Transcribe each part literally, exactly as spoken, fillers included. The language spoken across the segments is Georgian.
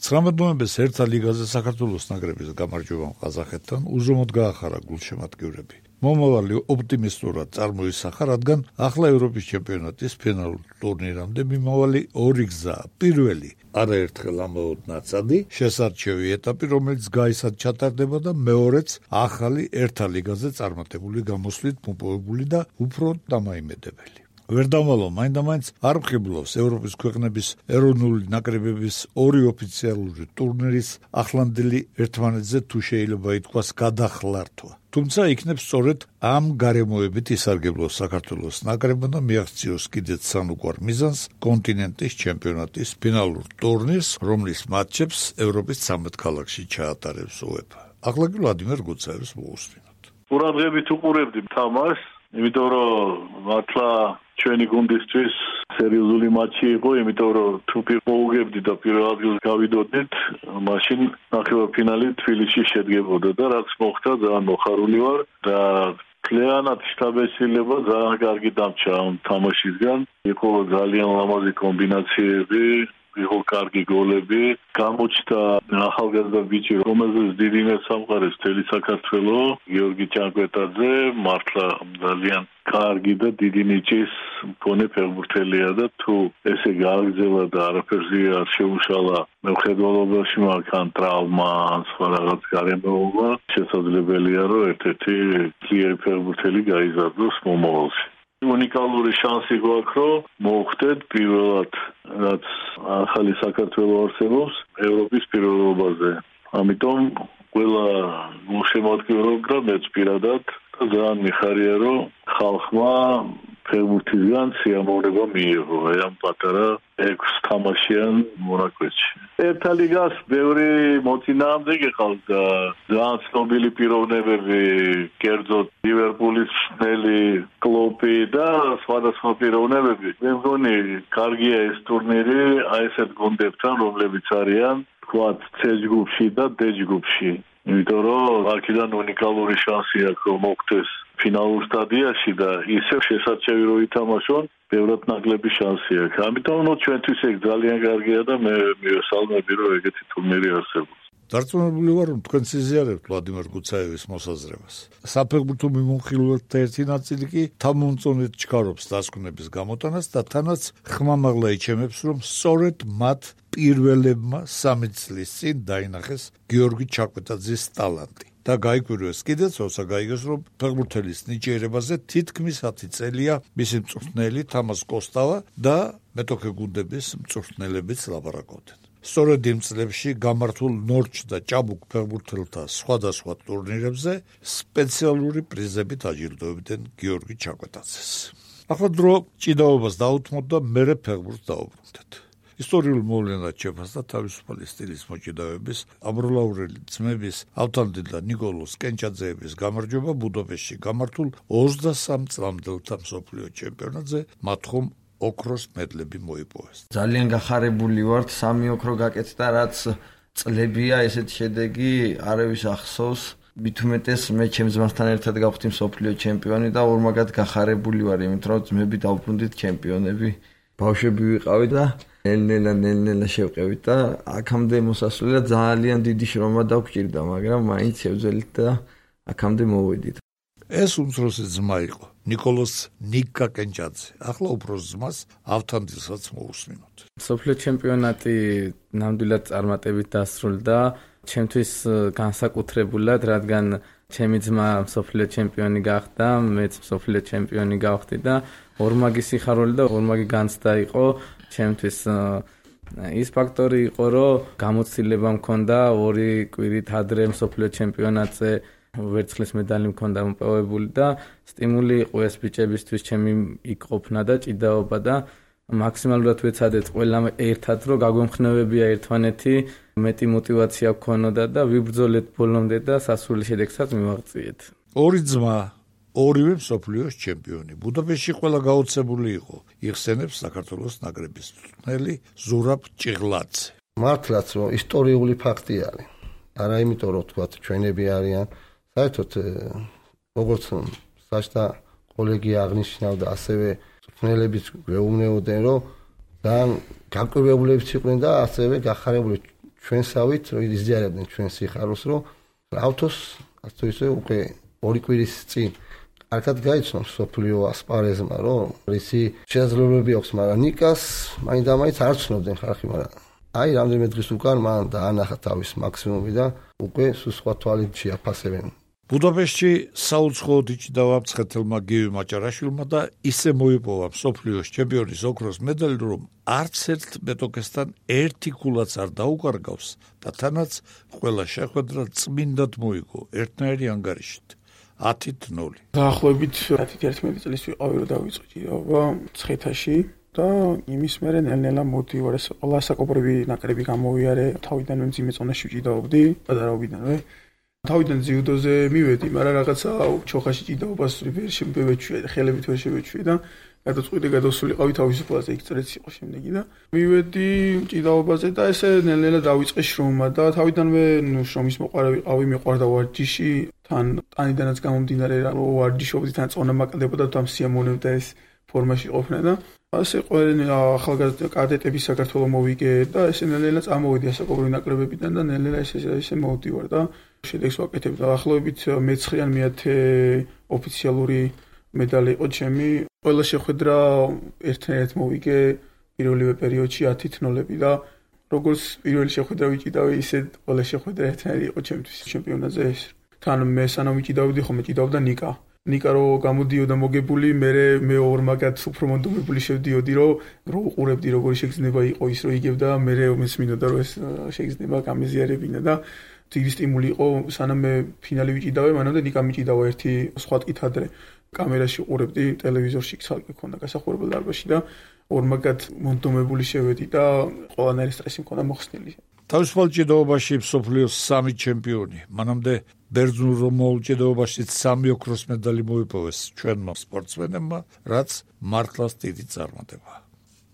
ცხრამეტ ნოემბერს ერთა ლიგაზე საქართველოს ნაკრების გამარჯვებამ ყაზახეთთან უზომოდ გაახარა გულშემატკივრები. მომავალი ოპტიმისტურად წარმოისახა, რადგან ახლა ევროპის ჩემპიონატის ფინალურ ტურნირამდე მიმავალი ორი გზაა. პირველი არაერთხელ ამაოდ ნაცადი შესარჩევი ეტაპი, რომელიც გაისად ჩატარდება და მეორეც ახალი ერთა ლიგაზე წარმატებული გამოსვლით მოპოვებული და უფრო დამაიმედებელი. ვერ დავალო, მაინდა-მაინც არ მხიბლავს ევროპის ქვეყნების ეროვნული ნაკრებების ორი ოფიციალური ტურნირის ახლანდელი ერთმანეთზე თუ შეიძლება ითქვას გადახლართვა. თუმცა იქნებ სწორედ ამ გარემოებით ისარგებლოს საქართველოს ნაკრებმა და მიაღწიოს კიდეც სანუკვარ მიზანს კონტინენტის ჩემპიონატის ფინალურ ტურნირს, რომლის მატჩებს ევროპის ცამეტ ქალაქში ჩაატარებს უეფა. ახლა კი ვლადიმერ გუცაევს მოусმინოთ. ყურადღებით უყურებდი თამაშს, იმიტომ რომ მართლა ჩვენი გუნდისთვის სერიოზული მატჩი იყო, იმიტომ რომ თუ მოუგებდი და პირველ ადგილს გავიდოდით, მაშინ ნახევარფინალი თბილისში შედგებოდა და რაც მოხდა, ძალიან მოხარული ვარ და კლიანად შთაბეჭდილება ძალიან კარგი დამჭა ამ თამაშისგან. იყო ძალიან ლამაზი კომბინაციები, იყო კარგი გოლები, გამოჩნდა ახალგაზრდა ბიჭი, რომელზეც დიდი იმედს ამყარებს მთელი საქართველო, გიორგი ჭანკვეტაძე, მართლა ძალიან კარგი და დიდი ნიჭის მქონე ფეხბურთელია და თუ ესე გააგრძელა და არაფერზე არ შეუშალა მხედველობაში მაგან ტრავმა, სხვა რაღაც გარემოება, შესაძლებელია რომ ერთ-ერთი ძლიერი ფეხბურთელი გაიზარდოს მომავალში. უნიკალური შანსი გვაქვს, რომ მოვხვდეთ პირველად, რაც ახალი საქართველო არსებობს ევროპის პირველობაზე. ამიტომ ყველა გულშემატკივრობდა მეც პირადად და ძალიან მიხარია, რომ ხალხმა ფეხბურთისგან სიამოვნება მიიღო ამ პატარა ექვს თამაშიან მონაკვეთში. ერთა ლიგას ბევრი მოწინააღმდეგე ყავს და ძალიან ცნობილი პიროვნებები, კერძოდ ლივერპულის მწვრთნელი კლოპი და სხვადასხვა პიროვნებები. მე მგონი კარგია ეს ტურნირი აი ესეთ გუნდებთან, რომლებიც არიან თქვათ C ჯგუფში და D ჯგუფში. იმიტომ რომ აქედან უნიკალური შანსი აქვს, რომ მოხდეს ფინალურ სტადიაში და ისევ შესაძლებელი რომ ითამაშონ, ბევრად ნაკლები შანსი აქვს. ამიტომ ნუ ჩვენთვის ეგ ძალიან კარგია და მე მივესალმები, რომ ეგეთი ტურნირი არსებობს. დარწმუნებული ვარ, რომ თქვენ სიზიარებთ ვლადიმერ გუცაევის მოსაზრებას. საფეხბურთო მიმოხილველთა ერთი ნაწილი კი თამომწონედ ჩქარობს დასკვნების გამოტანას და თანაც ხმამაღლა იჩემებს, რომ სწორედ მათ პირველებმა სამი წლის წინ დაინახეს გიორგი ჭანკვეტაძის ტალანტი. და გაიკვირვეს კიდეც, როცა გაიგეს, რომ ფეხბურთელის ნიჭიერებაზე თითქმის ათი წელია მისი მწვრთნელი თამაზ კოსტავა და მეტოქე გუნდების მწვრთნელებიც ლაპარაკობდნენ. სწორედ იმ წლებში გამართულ ნორჩ და ჭაბუკ ფეხბურთელთა სხვადასხვა ტურნირებზე სპეციალური პრიზებით აჯილდოებდნენ გიორგი ჭანკვეტაძეს. ახლა დრო ჭიდაობას დაუთმოთ და მერე ფეხბურთს დაუბრუნდეთ. ისტორიულ მოვლენად შეფასდა თავისუფალი სტილის მოჭიდავების აბროლაურელი ძმების ავთანდი და ნიკოლოზ კენჭაძეების გამარჯვება ბუდაპეშტში გამართულ ოცდასამ წლამდელთა მსოფლიო ჩემპიონატზე, მათ ხომ ოქროს მედლები მოიპოვეს. ძალიან გახარებული ვართ, სამი ოქრო გაკეთდა, რაც წლებია ესეთი შედეგი არავის ახსოვს. მით უმეტეს მე ჩემს ძმასთან ერთად გავხდი მსოფლიო ჩემპიონი და ორმაგად გახარებული ვარ, იმიტომ რომ ძმები დავბრუნდით ჩემპიონები. ბავშვები ვიყავით და ნელ-ნელა ნელ-ნელა შევყევით და აქამდე მოსასვლელად ძალიან დიდი შრომა დაგვჭირდა, მაგრამ მაინც შევძელით და აქამდე მოვედით. ეს უმცროსი ძმა იყო ნიკოლოზ ნიკა კენჭაძე. ახლა უფროს ძმას ავთანდისაც მოусმინოთ. მსოფლიო ჩემპიონატი ნამდვილად წარმატებით დასრულდა, ჩემთვის განსაკუთრებულად, რადგან ჩემი ძმა მსოფლიო ჩემპიონი გახდა, მეც მსოფლიო ჩემპიონი გავხდი და ორმაგი სიხარული და ორმაგი განცდა იყო ჩემთვის. ის ფაქტორი იყო, რომ გამოცდილება მქონდა ორი კვირით ადრე მსოფლიო ჩემპიონატზე ვერცხლის მედალი მქონდა მოპოვებული და სტიმული იყო ეს ბიჭებისთვის ჩემი იქ ყოფნა და ჭიდაობა და მაქსიმალურად ვეცადეთ ყველამ ერთად, რომ გაგვემხნევებია ერთმანეთი, მეტი мотиваცია გქონოდა და ვიბრძოლეთ ბოლომდე და სასურველი შედეგსაც მივაღწიეთ. ორი ძმა, ორივე მსოფლიოს ჩემპიონი. ბუდაპეშტში ყველა გაოცებული იყო. იხსენებს საქართველოს ნაკრების მწვრთნელი ზურაბ ჭიღლაძე. მართლაც რომ ისტორიული ფაქტი არის. არა იმიტომ რომ თქვა ჩვენები არიან, საერთოდ როგორც საჭთა კოლეგი აღნიშნავდა, ასევე მწვრთნელებიც გვეუბნებოდნენ, რომ ძალიან გაკვირვებულებიც იყვნენ და ასევე გახარებული ჩვენსავით იზიარებდნენ ჩვენ სიხარულს, რომ ავთოს ასე ისე უკვე ორი კვირის წინ კარგად გაიცნო სოფლიო ასპარეზმა, რომ რისი შესაძლებლობები აქვს, მაგრამ ნიკას მაინდა-მაინც არ ცნობდნენ ხალხი, მაგრამ აი რამდენიმე დღის უკან მან დაანახა თავის მაქსიმუმი და უკვე სხვა თვალით შეაფასებენ. ბუდაპეშტში საუცხოოდ იჭდავა მცხეთელმა გივი მაჭარაშვილმა და ისე მოიპოვა მსოფლიოს ჩემპიონის ოქროს медаლი, რომ არც ერთ მეტოქესთან ერთი ქულაც არ დაუკარგავს და თანაც ყველა შეხვედრა წმინდად მოიგო ერთნაირი ანგარიშით ათით ნული. დაახლოებით ათი-ერთმეტი წლის ვიყავი, რომ დავიწყე ჭიდაობა მცხეთაში და იმის მერე ნელ-ნელა მოვდივარ, ეს ყველა საკოპრები ნაკრები გამოვიარე, თავიდანვე მძიმე წონაში ჭიდაობდი, პატარაობიდანვე. თავიდან ძიუდოზე მივედი, მაგრამ რაღაცა ჩოხაში ჭიდაობას ვერ შემოვეჩვია, ხელებით ვერ შევეჩვია და გადაწყვიტე გადავსულიყავი თავისუფლად, იქ წრეც იყო შემდეგი და მივედი ჭიდაობაზე და ესე ნელ-ნელა დავიწყე შრომა და თავიდანვე ნუ შრომის მოყარა ვიყავი, მეყვარდა ვარჯიში, თან ტანიდანაც გამომდინარე რა ვარჯიშობდი, თან წონა მაკდებოდა, თან სიამოვნებდა ეს ფორმაში ყოფნა და ასე ყველა ახალგაზრდა კადეტები საქართველოს მოვიგე და ესე ნელ-ნელა წამოვედი ასაკობრივი ნაკრებებიდან და ნელ-ნელა ესე ესე მოვდივარ და შედეგს ვაკეთებ. დაახლოებით მეცხრე ან მეათე ოფიციალური медаლი იყო ჩემი. ყველა შეხვედრა ერთნაირად მოვიგე პირველივე პერიოდში ათით ნოლები და როგორც პირველი შეხვედრა ვიჭიდავი, ისე ყველა შეხვედრა ერთნაირი იყო ჩემთვის ჩემპიონატზე ეს. თან მე სანამ ვიჭიდავდი, ხომ მეჭიდავდა ნიკა. ნიკა რო გამოდიოდა მოგებული, მე მე ორ მაგათ უფრო მონდომებული შევდიოდი, რომ რო უყურებდი როგორი შეგრძნება იყო ის, რომ იგებდა, მე მესმინოდა რომ ეს შეგრძნება გამეზიარებინა და დიდი სტიმული იყო, სანამ მე ფინალი ვიჭიდავე, მანამდე ნიკა მიჭიდავა ერთი სხვა ტკით ადრე. კამერაში უყურებდი, ტელევიზორში ცალკე ქონდა გასახურებელ დარბაზში და ორმაგად მონდომებული შევედი და ყველანაირი სტრესი მქონდა მოხსნილი. თავისუფალ ჭიდაობაში მსოფლიოს სამი ჩემპიონი, მანამდე ბერძნულ რომაულ ჭიდაობაშიც სამი ოქროს медаლი მოიპოვეს ჩვენმა სპორტსმენებმა, რაც მართლაც დიდი წარმატება.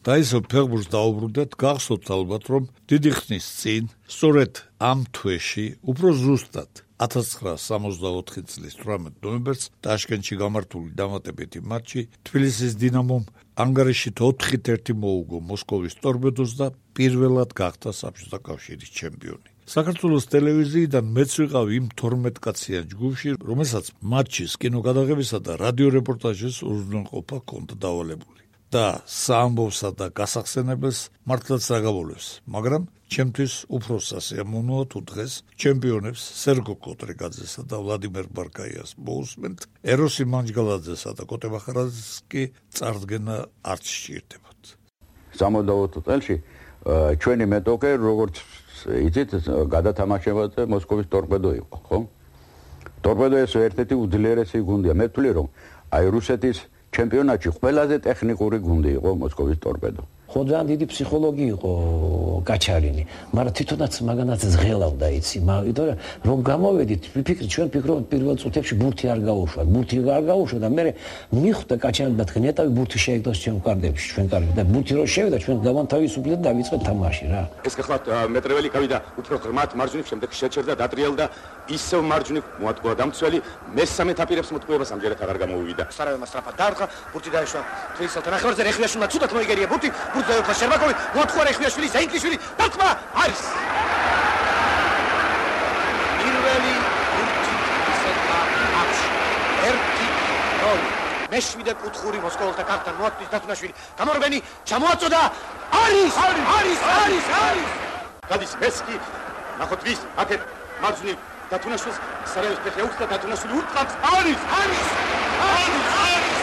და ისო ფეხბურთს დაუბრუნდეთ, გახსოვთ ალბათ, რომ დიდი ხნის წინ, სწორედ ამ თვეში, უფრო ზუსტად ათას ცხრაასი სამოცდაოთხი წლის თვრამეტ ნოემბერს ტაშკენტში გამართული დამატებითი მატჩი თბილისის დინამომ ანგარიშით ოთხით ერთი მოუგო მოსკოვის ტორპედოს და პირველად გახდა საბჭოთა კავშირის ჩემპიონი. საქართველოს ტელევიზიიდან მეც ვიყავი იმ თორმეტკაციან ჯგუფში, რომელსაც მატჩის კინოგადაღებისა და რადიო რეპორტაჟის უზრუნველყოფა ჰქონდა დავალებული. და საამბოვსა და გასახსენებელს მართლაც დაგაბოლებს, მაგრამ ჩემთვის უფრო სასიამოვნოა თუ დღეს ჩემპიონებს სერგო კოტრიგაძესა და ვლადიმერ ბარკაიას მოусმენთ, ეროსი მანჯგალაძესა და კოტე მახარაძეს კი წარდგენა არც სჭირდებათ. სამოცდაოთხ წელში ჩვენი მეტოქე როგორც იცით გადათამაშებაზე მოსკოვის ტორპედო იყო, ხო? ტორპედო ეს ერთ-ერთი უძლიერესი გუნდია. მე ვთვლი რომ აი რუსეთის ჩემპიონატში ყველაზე ტექნიკური გუნდი იყო მოსკოვის ტორპედო. ხო ძალიან დიდი ფსიქოლოგი იყო კაჩარინი, მაგრამ თვითონაც მაგანაც ზღელავდა იცი, იმიტომ რომ გამოვედით, ვიფიქრეთ ჩვენ ფიქრობთ პირველ წუთებში ბურთი არ გაუშვა, ბურთი არ გაუშვა და მე მიხვდა კაჩარინი და ნეტავი ბურთი შეეგდოს ჩვენ კარდებში, ჩვენ კარგი და ბურთი რო შევიდა ჩვენ დავანთავისუფლეთ და დავიწყეთ თამაში რა. ეს გახლავთ მეტრეველი გავიდა უფრო ღრმად მარჯვნივ, შემდეგ შეჩერდა დატრიალდა ისევ მარჯვნივ მოატყუა დამცველი, მესამე ეთაპირებს მოტყუებას ამჯერად აღარ გამოვიდა. სარავე სწრაფად დაარქვა, ბურთი დაეშვა თვისელთან ნახევარზე, რეხვიაშვილმა ცუდად მოიგერია ბურთი, ბურთი დაეუფლა შერბაკოვი, მოატყუა რეხვიაშვილი, ზაინკლიშვილი, დარტყმა არის. პირველი ბურთი ისეთმა აქვს. ერთი ნოლი. მეშვიდე კუთხური მოსკოველთა კართან მოაწვის დათუნაშვილი. გამორბენი ჩამოაწოდა. არის! არის! არის! არის! არის! გადის მესკი. ნახოთ ვის აქეთ მარჯვნივ დათუნაშვილს სარაევის ფეხი აუხსნა დათუნაშვილი უტყავს. არის! არის! არის! არის!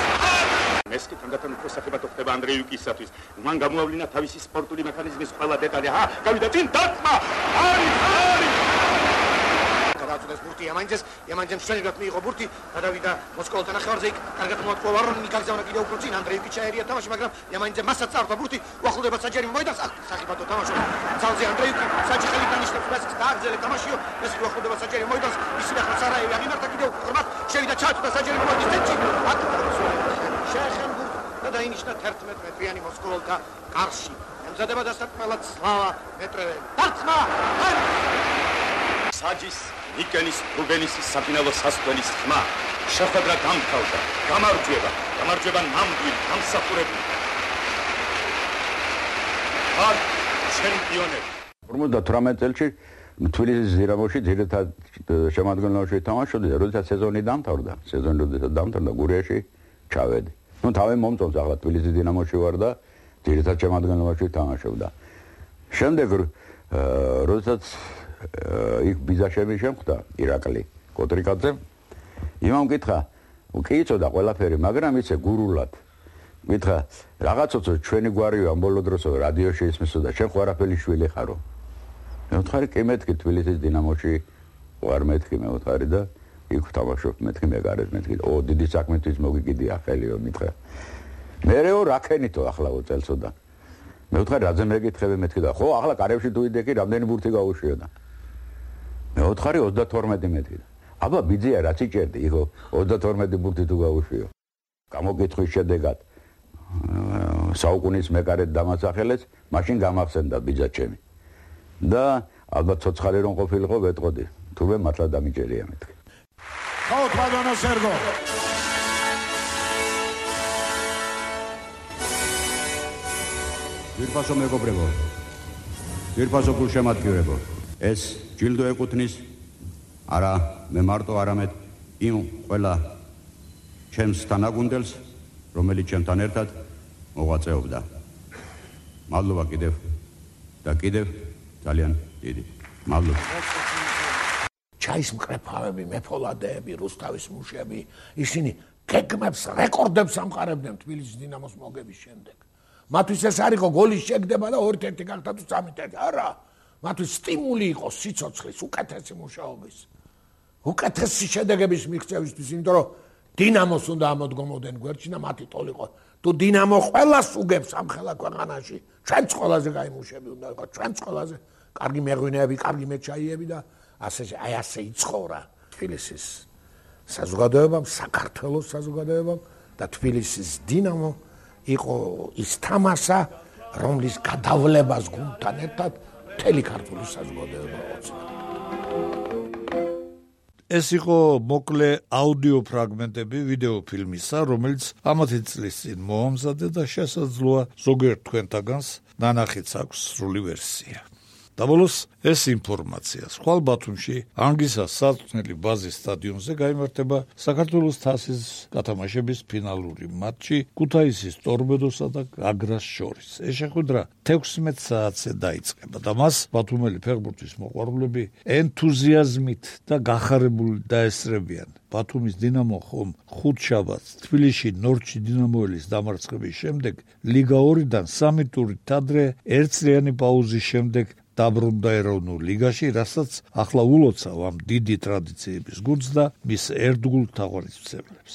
მესკი თანდათან უფრო სახებად ხდება ანდრეიუკისათვის. მან გამოავლინა თავისი სპორტული მექანიზმის ყველა დეტალი. ჰა, გავიდა წინ დარტყმა. არის! არის! გადააწოდეს ბურთი იამანიძეს, იამანიძემ მშვენივრად მიიღო ბურთი, გადავიდა მოსკოველთა ნახევარზე, იქ კარგად მოატყუა ვარონინი, გაგზავნა კიდევ უფრო წინ, ანდრეიუკი ჩაერია თამაში, მაგრამ იამანიძემ მასაც წარდა ბურთი, უახლოვდება საჯარი მოედანს, აქ სახიფათო თამაშობს. ძალზე ანდრეიუკი საჯიხელი დანიშნებს მასს დააგრძელებს თამაშიო, ეს უახლოვდება საჯარი მოედანს, ისინი ახლა სარაევი აღიმართა კიდევ ღრმად, შევიდა ჩააწოდა საჯარი მოედნის ცენტრში, აქ შეეხენ ბურთი და დაინიშნა თერთმეტ მეტრიანი მოსკოველთა კარში. ემზადება დასარტყმელად სლავა მეტრეველი. დარტყმა! საჯის ნიკენის რუბენისის საფინალო სასწვენის ხმა შეხვედრა დამთავრდა. გამარჯვება, გამარჯვება ნამდვილი, გამსახურებული. არ ჩემპიონები ორმოცდათვრამეტ წელში თბილისის დინამოში ძირითად შემადგენლობაში თამაშობდი, როდესაც სეზონი დამთავრდა, სეზონი როდესაც დამთავრდა, გურიაში ჩავედი. ნუ თავი მომწონს ახლა თბილისის დინამოში ვარ და ძირითად შემადგენლობაში თამაშობდა. შემდეგ როდესაც იქ ბიზაშები შემხვდა ირაკლი კოტრიკაძე, იმამ კითხა, კი იცოდა ყველაფერი, მაგრამ იცე გურულად. კითხა, რაღაცოცო ჩვენი გვარია ბოლო დროსო რადიოში ისმისოდა, შენ ხო არაფერი შვილი ხარო. მე ვთხარი, კი მეთქი თბილისის დინამოში ვარ მეთქი, მე ვთხარი და იქ ვთამაშობ, მეთქი მე გარეთ მეთქი. ო, დიდი საქმისთვის მოგიგიდია ხელიო, მითხრა. მერეო რაკენითო ახლა უწელსოდა. მე ვთხარი, რაზე მეკითხები მეთქი და ხო, ახლა კარებში თუ იდექი, რამდენი ბურთი გაუშვიოდა. მე ვთხარი ოცდათორმეტი მეთქი. აბა ბიძია რაც იჭერდი, იხო ოცდათორმეტი ბურთი თუ გაუშვიო. გამოკითხვის შედეგად საუკუნის მეკარედ დამასახელეს, მაშინ გამახსენდა ბიძა ჩემი. და ალბათ ცოცხალი რომ ყოფილიყო ვეტყოდი, თურმე მართლა დამიჭერია მეთქი. ხო, ბატონო სერგო. ძირფასო მეგობრებო, ძირფასო გულშემატკივრებო, ეს ჯილდო ეკუთვნის არა მე მარტო არამედ იმ ყველა ჩემს თანაგუნდელს, რომელიც ჩემთან ერთად მოღვაწეობდა. მადლობა კიდევ და კიდევ ძალიან დიდი. მადლობა. ჩაის მკრეფავები, მეფოლადეები, რუსთავის მუშები, ისინი გეგმებს, რეკორდებს ამყარებდნენ თბილისის დინამოს მოგების შემდეგ. მათთვის ეს არ იყო გოლის შეგდება და ერთ-ერთი გახდა თუ სამი-ერთი. არა, მათთვის სტიმული იყო სიცოცხლის, უკეთესი მუშაობის. უკეთესი შედეგების მიღწევისთვის, იმიტომ რომ დინამოს უნდა ამოდგომოდნენ გვერდში და მათი ტოლი იყო. თუ დინამო ყველას უგებს ამ ხელა ქვეყანაში, ჩვენც ყველაზე გაიმუშები უნდა იყო, ჩვენც ყველაზე კარგი მეღვინეები, კარგი მეჩაიები და ასე აი ასე იცხოვრა თბილისის საზოგადოებამ, საქართველოს საზოგადოებამ და თბილისის დინამო იყო ის თამაშა, რომლის გადავლებას გუნდთან ერთად მთელი ქართული საზოგადოება ოცნებდა. ეს იყო მოკლე აუდიო ფრაგმენტები ვიდეოფილმისა, რომელიც ამათი წლის წინ მოამზადე და შესაძლოა ზოგიერთ თქვენთაგანს ნანახიც აქვს სრული ვერსია. და ბოლოს ეს ინფორმაცია. ხვალ ბათუმში ანგისას საწვრთნელი ბაზის სტადიონზე გაიმართება საქართველოს თასის გათამაშების ფინალური მატჩი ქუთაისის ტორპედოსა და გაგრას შორის. ეს შეხვედრა თექვსმეტ საათზე დაიწყება და მას ბათუმელი ფეხბურთის მოყვარულები ენთუზიაზმით და გახარებული დაესწრებიან. ბათუმის დინამო ხომ ხუთშაბათს თბილისში ნორჩი დინამოელის დამარცხების შემდეგ ლიგა ორიდან სამი ტურით ადრე ერთწლიანი პაუზის შემდეგ დაბრუნდა ეროვნულ ლიგაში, რასაც ახლა ულოცავ ამ დიდი ტრადიციების გუნდს და მის ერთგულ თაყვანისმცემლებს.